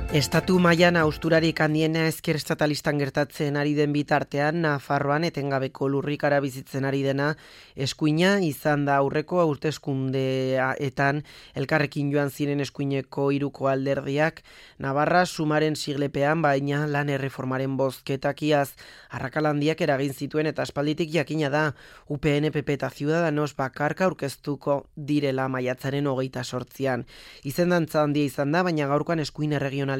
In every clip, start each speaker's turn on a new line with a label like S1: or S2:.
S1: Estatu mailan hausturarik handiena ezker estatalistan gertatzen ari den bitartean, Nafarroan etengabeko lurrikara bizitzen ari dena eskuina izan da aurreko hauteskundeetan elkarrekin joan ziren eskuineko hiruko alderdiak Navarra sumaren siglepean, baina lan erreformaren bozketakiaz arrakalandiak eragin zituen eta aspalditik jakina da UPN, PP eta Ciudadanos bakarka aurkeztuko direla maiatzaren 28an. Izendantza handia izan da, baina gaurkoan eskuin erregionalistako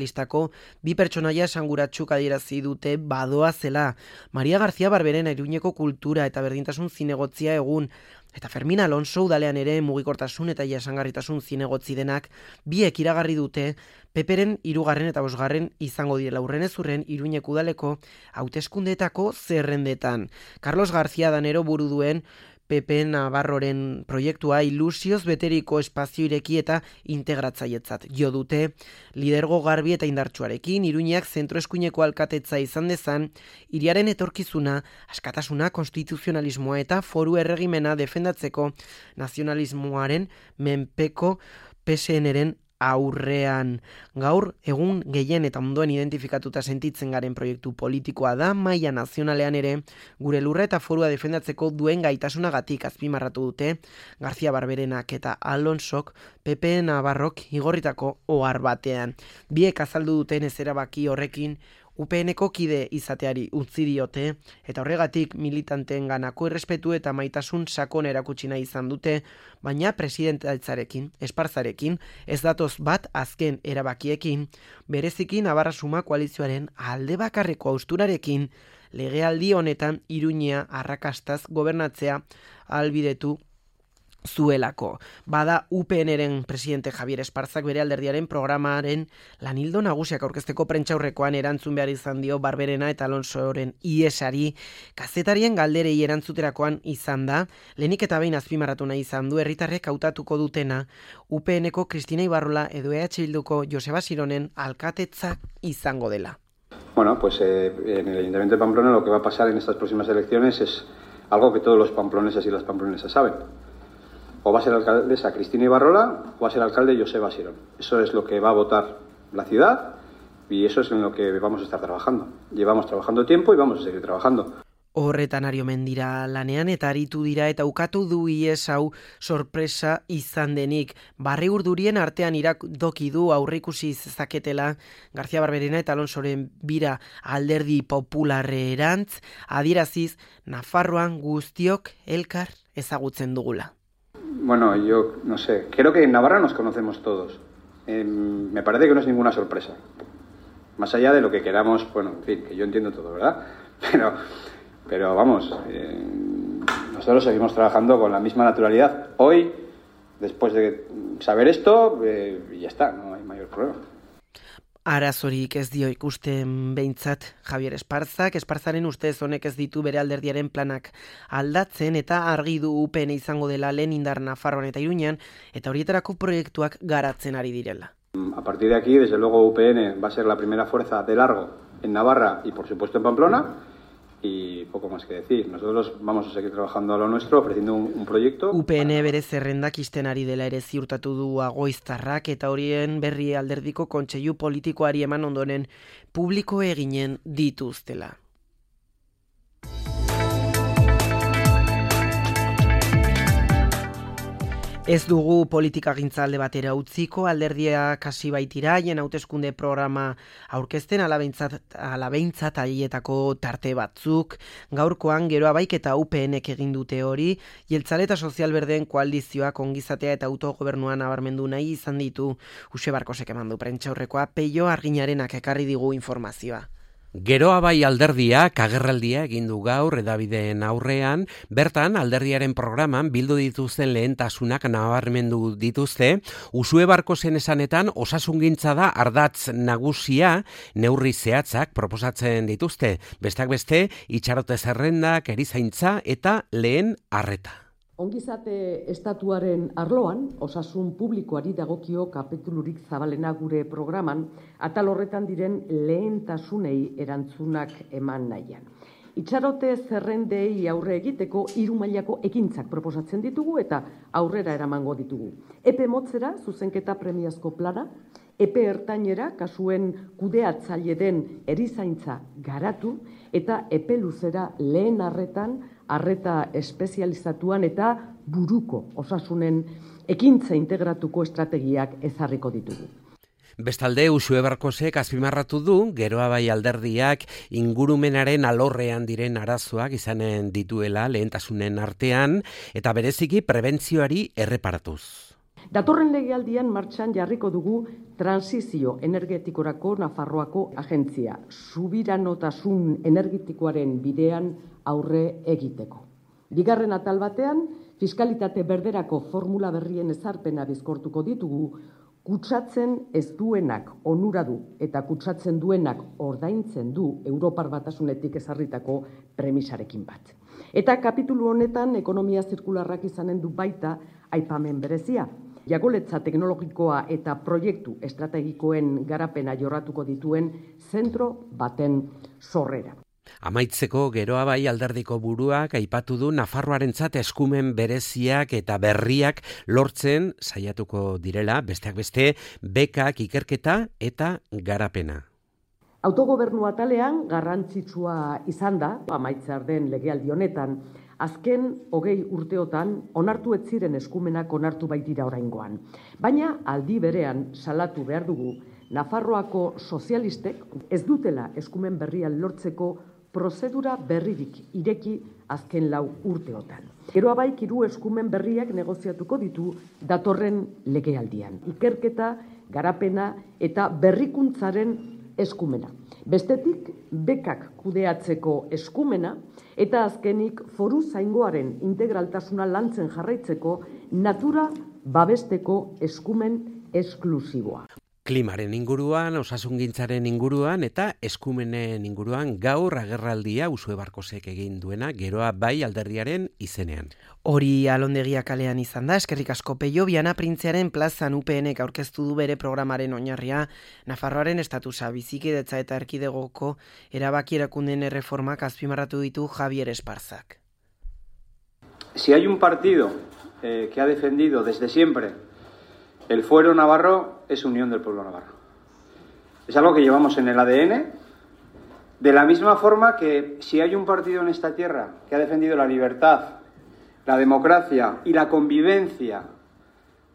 S1: bi pertsonaia esanguratsuk adierazi dute badoa zela. Maria García Barberena Iruñeko kultura eta berdintasun zinegotzia egun, eta Fermin Alonso udalean ere mugikortasun eta jasangarritasun zinegotzi denak biek iragarri dute PPren 3. eta 5. izango direla urrenez urren Iruñeko udaleko hauteskundeetako zerrendetan. Carlos García Danero buru duen PP Navarroren proiektua ilusioz beteriko espazio ireki eta integratzailetzat jo dute, lidergo garbi eta indartsuarekin Iruñeak zentroeskuineko alkatetza izan dezan, hiriaren etorkizuna, askatasuna, konstituzionalismoa eta foru erregimena defendatzeko nazionalismoaren menpeko PSN-ren aurrean. Gaur egun gehien eta ondoen identifikatuta sentitzen garen proiektu politikoa da, maila nazionalean ere gure lurra eta forua defendatzeko duen gaitasunagatik azpimarratu dute García Barberenak eta Alonsok PP Navarrok igorritako ohar batean. Biek azaldu duten ez erabaki horrekin UPNeko kide izateari utzi diote, eta horregatik militanteenganako errespetu eta maitasun sakon erakutsi nahi izan dute, baina presidentaltzarekin, espartzarekin, ez datoz bat azken erabakiekin, bereziki Navarra Suma koalizioaren alde bakarreko hausturarekin, legealdi honetan Iruñea arrakastaz gobernatzea ahalbidetu zuelako. Bada UPNren presidente Javier Esparzak bere alderdiaren programaren lanildo nagusiak aurkezteko prentsaurrekoan erantzun behar izan dio Barberena eta Alonsoren iesari, kazetarien galderei erantzuterakoan izan da, lehenik eta behin azpimarratu nahi izan du herritarrek hautatuko dutena UPNeko Cristina Ibarrola edo EH Bilduko Joseba Sironen alkatetza izango dela.
S2: Bueno, pues en el Ayuntamiento de Pamplona lo que va a pasar en estas próximas elecciones es algo que todos los pamploneses y las pamplonesas saben. O va a ser alcaldesa Cristina Ibarrola o va a ser alcalde Joseba Sirón. Eso es lo que va a votar la ciudad y eso es en lo que vamos a estar trabajando. Llevamos trabajando tiempo y vamos a seguir trabajando.
S1: Horretan ari omen dira lanean eta aritu dira eta ukatu du ies hau sorpresa izan denik. Barri urdurien artean iradoki du aurreikusi zezaketela García Barberena eta Alonsoren bira alderdi popularrerantz, adieraziz Nafarroan guztiok elkar ezagutzen dugula.
S2: Bueno, yo no sé, creo que en Navarra nos conocemos todos. Me parece que no es ninguna sorpresa. Más allá de lo que queramos, bueno, en fin, que yo entiendo todo, ¿verdad? Pero vamos, nosotros seguimos trabajando con la misma naturalidad. Hoy, después de saber esto, ya está, no hay mayor problema.
S1: Arazorik ez dio ikusten behintzat Javier Esparzak, Esparzaren ustez honek ez ditu bere alderdiaren planak aldatzen eta argi du UPN izango dela lehen indar Nafarroan eta Iruñan eta horietarako proiektuak garatzen ari direla.
S2: A partir de aquí, desde luego UPN va a ser la primera fuerza de largo en Navarra y por supuesto en Pamplona. Y poco más que decir. Nosotros vamos a seguir trabajando a lo nuestro, ofreciendo un proyecto.
S1: UPN bere zerrendak isten ari dela ere ziurtatu du Agoiztarrak eta horien berri alderdiko kontseilu politikoari eman ondoren publiko eginen dituztela. Ez dugu politikagintza alde batera utziko, alderdiak hasi baitira, haien hauteskunde programa aurkezten alabeintzat haietako tarte batzuk. Gaurkoan geroa baik eta UPNek egin dute hori, jeltzale eta sozialberdeen koalizioak ongizatea eta autogobernuan nabarmendu nahi izan ditu. Use Barkosek eman du prentsaurrekoa, Peio Arginarenak ekarri digu informazioa.
S3: Geroa bai alderdiak agerraldia egin du gaur hedabideen aurrean, bertan alderdiaren programan bildu dituzten lehentasunak nabarmendu dituzte, Usue Barkosen esanetan osasungintza da ardatz nagusia, neurri zehatzak proposatzen dituzte, besteak beste itxarote zerrendak, erizaintza eta lehen arreta.
S4: Ongizate estatuaren arloan, osasun publikoari dagokio kapitulurik zabalena gure programan, atal horretan diren lehentasunei erantzunak eman nahian. Itxarote zerrendei aurre egiteko 3 mailako ekintzak proposatzen ditugu eta aurrera eramango ditugu. Epe motzera zuzenketa premiazko plana, Epe ertainera kasuen kudeatzaile den erizaintza garatu eta epe luzera lehen arreta espezializatuan eta buruko osasunen ekintza integratuko estrategiak ezarriko ditugu.
S3: Bestalde, Uxue Barkosek azpimarratu du, Geroa Bai alderdiak ingurumenaren alorrean diren arazoak izanen dituela lehentasunen artean, eta bereziki prebentzioari erreparatuz.
S4: Datorren legealdian martxan jarriko dugu transizio energetikorako Nafarroako agentzia, subiranotasun energetikoaren bidean aurre egiteko. Bigarren atal batean, fiskalitate berderako formula berrien ezarpena bizkortuko ditugu, kutsatzen ez duenak onura du eta kutsatzen duenak ordaintzen du Europar Batasunetik ezarritako premisarekin bat. Eta kapitulu honetan ekonomia zirkularrak izanen du baita aipamen berezia. Jagoletza teknologikoa eta proiektu estrategikoen garapena jorratuko dituen zentro baten sorrera.
S3: Amaitzeko Geroa Bai alderdiko buruak aipatu du Nafarroarentzat eskumen bereziak eta berriak lortzen saiatuko direla, besteak beste, bekak, ikerketa eta garapena.
S4: Autogobernu atalean garrantzitsua izan da, amaitzear den legealdi honetan, azken 20 urteotan onartu ez ziren eskumenak onartu baitira oraingoan. Baina aldi berean salatu behar dugu, Nafarroako sozialistek ez dutela eskumen berrian lortzeko prozedura berririk ireki azken 4 urteotan. Geroa Baik 3 eskumen berriak negoziatuko ditu datorren legealdian. Ikerketa, garapena eta berrikuntzaren eskumena. Bestetik, bekak kudeatzeko eskumena eta azkenik foru zaingoaren integraltasuna lantzen jarraitzeko natura babesteko eskumen esklusiboa.
S3: Klimaren inguruan, osasungintzaren inguruan eta eskumenen inguruan gaur agerraldia Uxue Barkosek egin duena Geroa Bai alderdiaren izenean.
S1: Hori Alondegia kalean izan da, eskerrik asko Peio, Viana Printzearen plazan UPNek aurkeztu du bere programaren oinarria, Nafarroaren estatusa, bizikidetza eta erkidegoko erabaki erakunden erreformak azpimarratu ditu Javier Esparzak.
S2: Si hay un partido que ha defendido desde siempre el fuero navarro, es Unión del Pueblo Navarro. Es algo que llevamos en el ADN, de la misma forma que si hay un partido en esta tierra que ha defendido la libertad, la democracia y la convivencia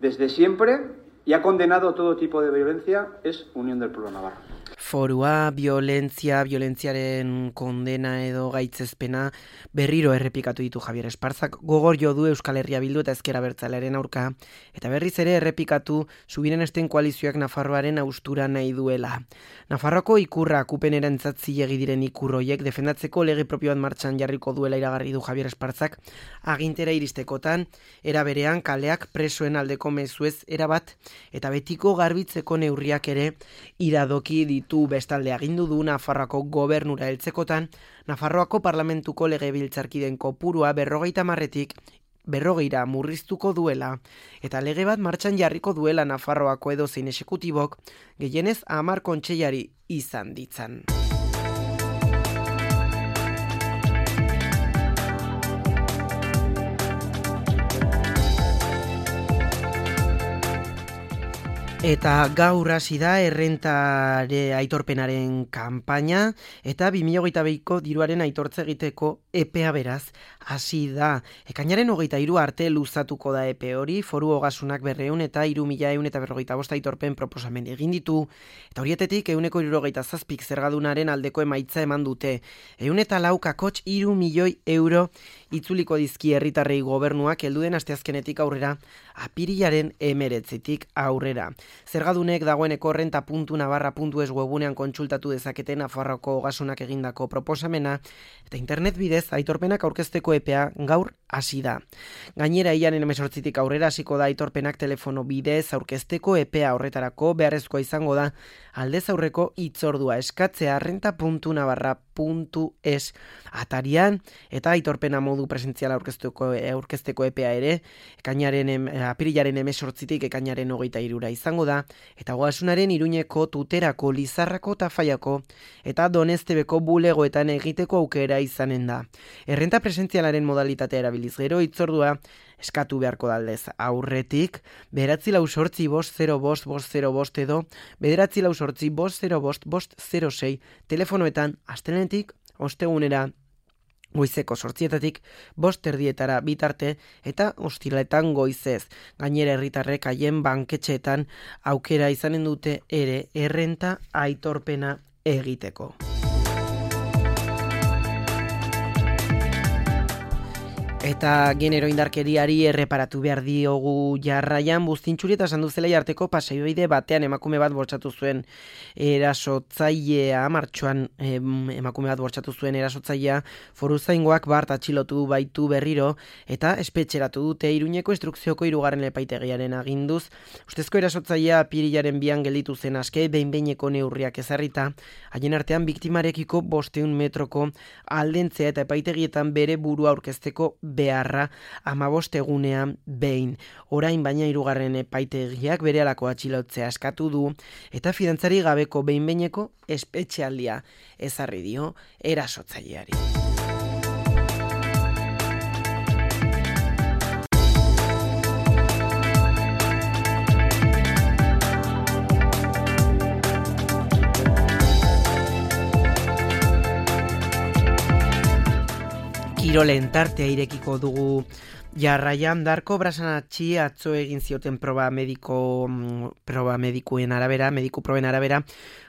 S2: desde siempre y ha condenado todo tipo de violencia, es Unión del Pueblo Navarro.
S1: Forua, violentziaren kondena edo gaitzezpena berriro errepikatu ditu Javier Esparzak, gogor jo du Euskal Herria Bildu eta Ezker Abertzalearen aurka, eta berriz ere errepikatu Subirenesten koalizioak Nafarroaren haustura nahi duela. Nafarroako ikurra kupenerantzat zilegi diren ikurroiek defendatzeko lege propioan martxan jarriko duela iragarri du Javier Esparzak, agintera iristekotan, era berean kaleak presoen aldeko mezuez erabat, eta betiko garbitzeko neurriak ere iradoki ditu. Bestalde agindu du Nafarroako gobernura heltzekotan, Nafarroako parlamentuko legebiltzarkiden kopurua 50-tik 40 murriztuko duela, eta lege bat martxan jarriko duela Nafarroako edozein exekutibok, gehienez 10 kontseilari izan ditzan. Eta gaur hasi da errentare aitorpenaren kanpaina eta 2022ko diruaren aitortze egiteko epea beraz hasi da. Ekainaren 23 arte luzatuko da epe hori, Foru Ogasunak 200 eta 3.145 aitorpen proposamen egin ditu, eta horietetik 167 zergadunaren aldeko emaitza eman dute. 104 3 milioi euro itzuliko dizki herritarrei gobernuak helduden asteazkenetik aurrera, apirilaren 19tik aurrera. Zergadunek dagoeneko renta.navarra.es webunean kontsultatu dezaketen Nafarroako Ogasunak egindako proposamena, eta internet bidez aitorpenak aurkezteko epea gaur hasi da. Gainera, hilaren 18tik aurrera hasiko da aitorpenak telefono bidez aurkezteko epea, horretarako beharrezkoa izango da aldez aurreko hitzordua eskatzea renta.navarra.es atarian, eta aitorpena modu presentziala aurkezteko epea ere apirilaren 18tik ekainaren 23ra izango da, eta Ogasunaren Iruñeko, Tuterako, Lizarrako, Tafaiako eta Donestebeko bulegoetan egiteko aukera izanen da. Errenta presentzialaren modalitatea erabiltzen bidaliz gero hitzordua eskatu beharko daldez aurretik, 944-505-505 edo 944-505-506 telefonoetan astelehenetik ostegunera goizeko 8:00 5:30 bitarte eta ostiraletan goizez. Gainera herritarrek haien banketxeetan aukera izanen dute ere errenta aitorpena egiteko. Eta genero indarkeriari erreparatu behar diogu jarraian, Buztintxuri eta Sanduzela arteko paseibide batean emakume bat bortxatu zuen erasotzailea, martxoan emakume bat bortxatu zuen erasotzailea, Foruzaingoak bart atxilotu baitu berriro eta espetxeratu dute Iruñeko instrukzioko 3. epaitegiaren aginduz. Ustezko erasotzailea apirilaren 2 gelditu zen aske, behin-behineko neurriak ezarrita, haien artean biktimarekiko 500 metroko aldentzea eta epaitegietan bere burua aurkezteko beharra 15 egunean behin. Orain baina 3. epaitegiak berehalako atxilotzea eskatu du eta fidantzari gabeko behin-behineko espetxealdia ezarri dio erasotzaileari. Kirolen tartea irekiko dugu jarraian. Darko Brasanatxi atzo egin zioten mediku proben arabera,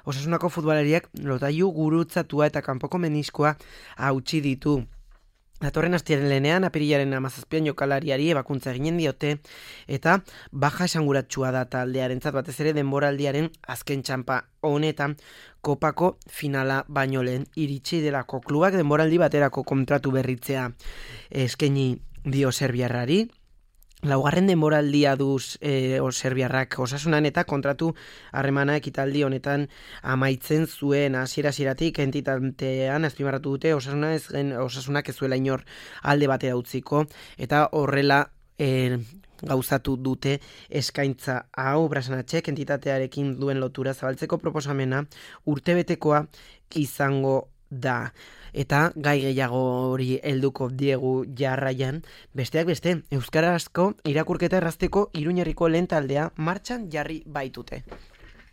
S1: Osasunako futbolariak lotailu gurutzatua eta kanpoko meniskoa hautsi ditu. Datorren astelehenean apirilaren 17 jokalariari ebakuntza eginen diote eta baja esanguratsua da taldearentzat, batez ere denboraldiaren azken txanpa honetan kopako finala baino lehen iritsi delako. Klubak denboraldi baterako kontratu berritzea eskaini dio serbiarrari. Laugarren denboraldia duz serbiarrak Osasunan eta kontratu harremana ekitaldi honetan amaitzen zuen. Hasieratik entitatean azpimarratu dute Osasunak ez zuela inor alde batera utziko eta horrela gauzatu dute eskaintza hau. Brasanatxek entitatearekin duen lotura zabaltzeko proposamena urtebetekoa izango da. Eta gai gehiago hori helduko diegu jarraian, besteak beste, euskarazko irakurketa errazteko Iruñerriko lehen taldea martxan jarri baitute.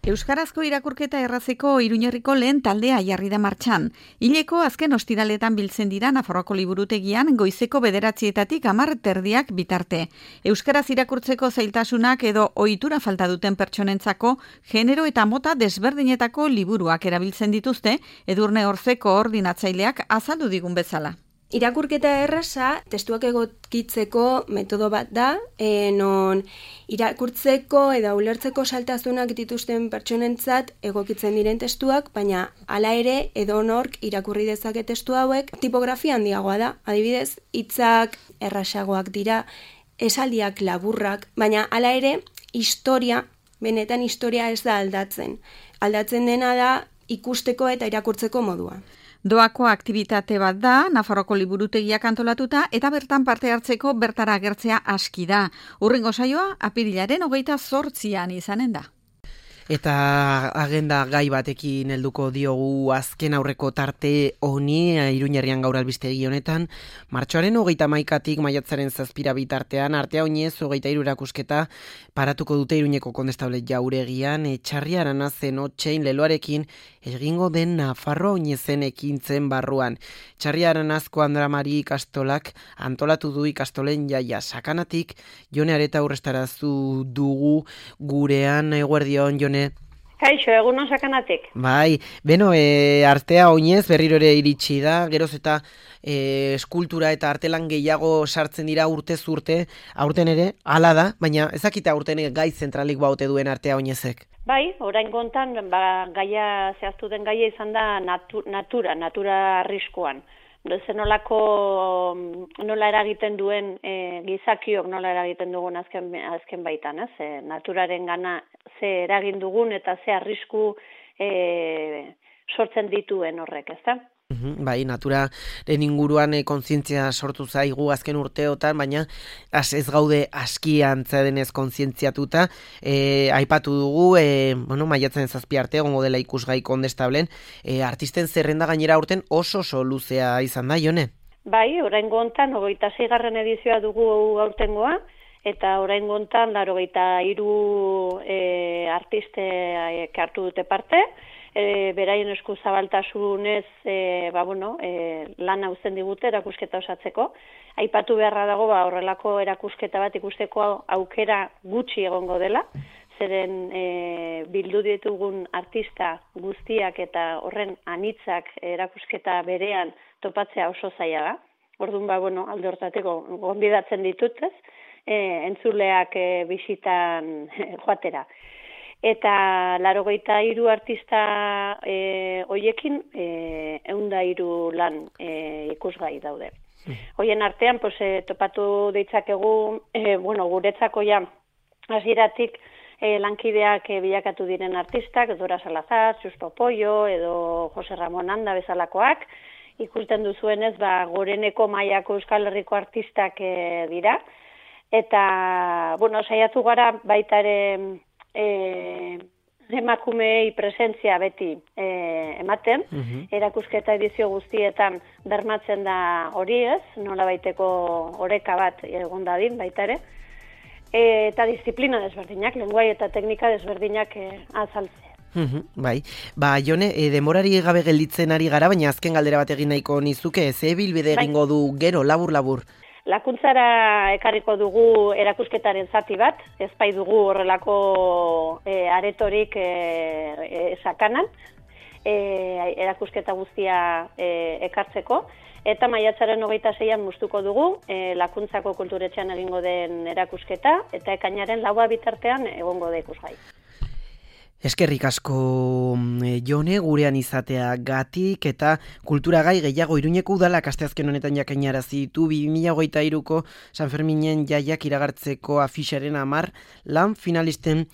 S5: Euskarazko irakurketa errazeko Iruñerriko lehen taldea jarri da martxan. Hileko azken ostiraletan biltzen dira Nafarroako liburutegian goizeko 9:00 10:30 bitarte. Euskaraz irakurtzeko zailtasunak edo ohitura falta duten pertsonentzako genero eta mota desberdinetako liburuak erabiltzen dituzte, Edurne Orzeko koordinatzaileak azaldu digun bezala.
S6: Irakurketa erraza testuak egokitzeko metodo bat da, non irakurtzeko edo ulertzeko saltasunak dituzten pertsonentzat egokitzen diren testuak, baina hala ere edonork irakurri dezake testu hauek tipografia handiagoa da. Adibidez, hitzak errasagoak dira, esaldiak laburrak, baina hala ere benetan historia ez da aldatzen. Aldatzen dena da ikusteko eta irakurtzeko modua.
S5: Doako aktibitate bat da, Nafarroako liburutegiak antolatuta eta bertan parte hartzeko bertara agertzea aski da. Hurrengo saioa apirilaren 28 izanen da.
S1: Eta agenda gai batekin helduko diogu azken aurreko tarte honi Iruñerrian gaur albistegi honetan. Martxoaren 31tik maiatzaren 7 bitartean artea oinez 23 erakusketa paratuko dute Iruñeko Kondestable Jauregian. Etxarri Aranazen otxein leloarekin egingo den Nafarroa oinezen ekintzen barruan. Etxarri Aranazko Andra Mari ikastolak antolatu du ikastolen jaia sakanatik. Jone Areta urrestarazu dugu gurean. Eguerdion, Jone.
S7: Kaixo, egunon sakanatik.
S1: Bai, artea oinez berriro ere iritsi da, geroz eta eskultura eta artelan gehiago sartzen dira urtez urte, aurten ere, hala da, baina ezakite aurten gai zentralik baute duen artea oinezek.
S7: Bai, orain gontan, gaia zehaztu den gaia izan da natura arriskuan. Nola eragiten duen gizakiok nola eragiten dugun azken baitan, naturaren gana ze eragin dugun eta ze arrisku sortzen dituen horrek, ezta?
S1: Bai, naturaren inguruan kontzientzia sortu zaigu azken urteotan, baina ez gaude aski antza denez kontzientziatuta. Aipatu dugu, maiatzen 7 arte egongo dela ikusgai Kondestablen, artisten zerrenda gainera aurten oso luzea izan da, Jone?
S7: Bai, oraingo hontan 26. edizioa dugu aurtengoa, eta oraingo hontan 83 artistek hartu dute parte. Beraien esku zabaltasunez lan hauzen digute erakusketa osatzeko. Aipatu beharra dago horrelako erakusketa bat ikusteko aukera gutxi egongo dela, zeren bildu ditugun artista guztiak eta horren anitzak erakusketa berean topatzea oso zaila da. Orduan alde hortateko gonbidatzen ditut, entzuleak bisitan joatera. Eta 83 artista hoiekin 103 lan ikusgai daude. Hoien artean topatu ditzakegu, guretzako ja hasieratik lankideak bilakatu diren artistak, Dora Salazar, Xusto Pollo edo Jose Ramon Anda bezalakoak, ikusten duzuenez, goreneko mailako Euskal Herriko artistak dira. Eta, saiatu gara baita ere emakumeei presentzia beti ematen, erakusketa edizio guztietan bermatzen da hori ez, nola baiteko oreka bat egon dadin baita ere, eta disiplina desberdinak, lenguai eta teknika desberdinak azaltzea.
S1: Bai, Jone, denborari gabe gelditzen ari gara, baina azken galdera bat egin nahiko nizuke, ze bilbide egingo du gero, labur-labur?
S7: Lakuntzara ekarriko dugu erakusketaren zati bat, ez bai dugu horrelako aretorik sakanan, erakusketa guztia ekartzeko, eta maiatzaren 26an muztuko dugu Lakuntzako Kulturetxean egingo den erakusketa, eta ekainaren 4 bitartean egongo da ikusgai.
S1: Eskerrik asko Jone, gurean izatea gatik eta kulturagai gehiago Iruñeko udalak asteazken honetan jakainarazi ditu 2023ko San Ferminen jaiak iragartzeko afixaren 10 lan finalisten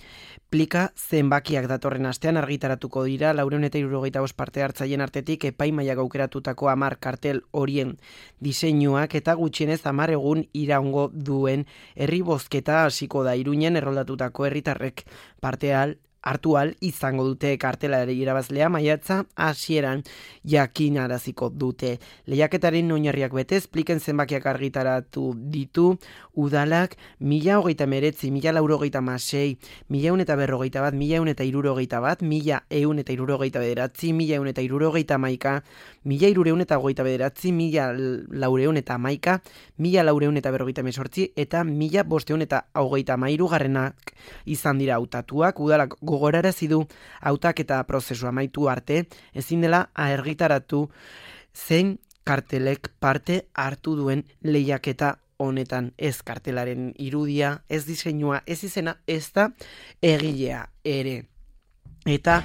S1: plika zenbakiak datorren astean argitaratuko dira 475 parte hartzaien artetik epaimaiak aukeratutako 10 kartel horien diseinuak eta gutxienez 10 egun iraungo duen herri bozketa hasiko da Iruñen erroldatutako herritarrek hartu ahal izango dute kartelari irabazlea maiatza hasieran jakinaraziko dute. Lehiaketaren oinarriak betez, pliken zenbakiak argitaratu ditu udalak 1039, 1096, 1141, 1161, 1169, 1169, 1189, 1429, 1411, eta 1538 garrenak izan dira hautatuak. Udalak gogorarazi du hautaketa prozesua amaitu arte ezin dela argitaratu zein kartelek parte hartu duen lehiaketa honetan, ez kartelaren irudia, ez diseinua, ez izena, ez da egilea ere. Eta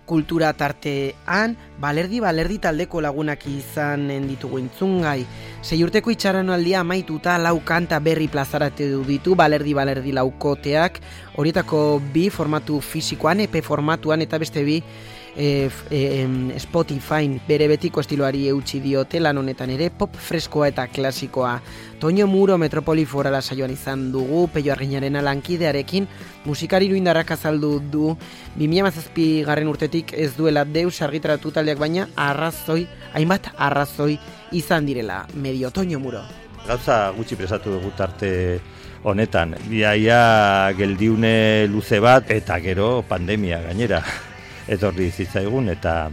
S1: kultura tartean, balerdi taldeko lagunak izan ditugu entzungai. 6 urteko itxaronaldia amaituta 4 kanta berri plazaratu ditu balerdi laukoteak, horietako 2 formatu fisikoan, EP formatuan eta beste 2 Spotify bere betiko estiloari eutsi diote lan honetan ere, pop freskoa eta klasikoa. Toño Muro Metropoli Forala saioan izan dugu, Peio Arginarena lankidearekin, musikari iruindarrak azaldu du 2017 garren urtetik ez duela deus argitaratu taldeak, baina hainbat arrazoi izan direla. Medio Toño Muro.
S8: Gauza gutxi presatu dugu tarte honetan, biaia geldiune luze bat eta gero pandemia gainera etorri zitzaigun, eta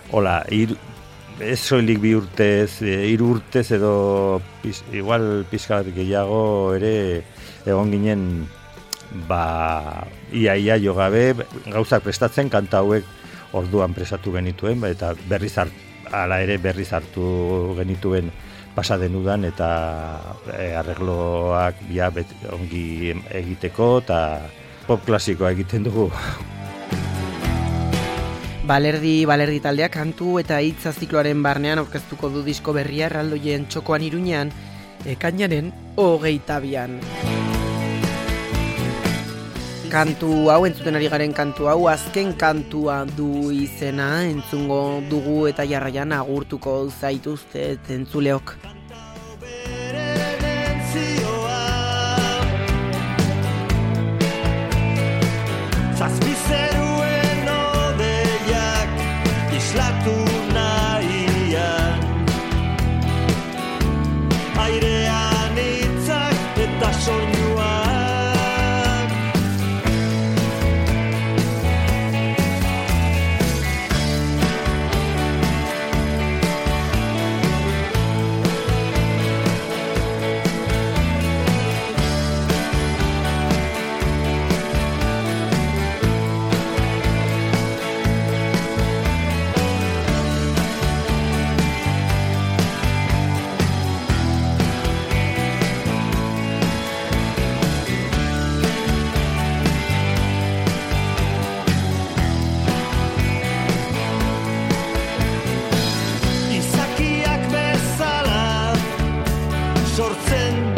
S8: hola, ez soilik 2 urtez, 3 urtez edo igual pixka bat gehiago ere egon ginen ia jo gabe gauzak prestatzen, kanta hauek orduan prestatu genituen, eta berriz hartu genituen pasaden udan, eta arregloak ongi egiteko eta pop klasikoa egiten dugu.
S1: Balerdi taldeak kantu eta hitza zikloaren barnean aurkeztuko du disko berria erraldoien txokoan Iruñean, ekainaren 22an. Kantu hau, entzuten ari garen kantu hau, azken kantua du izena, entzungo dugu eta jarraian agurtuko zaituzte entzuleok.
S9: Islatu nahian sortzen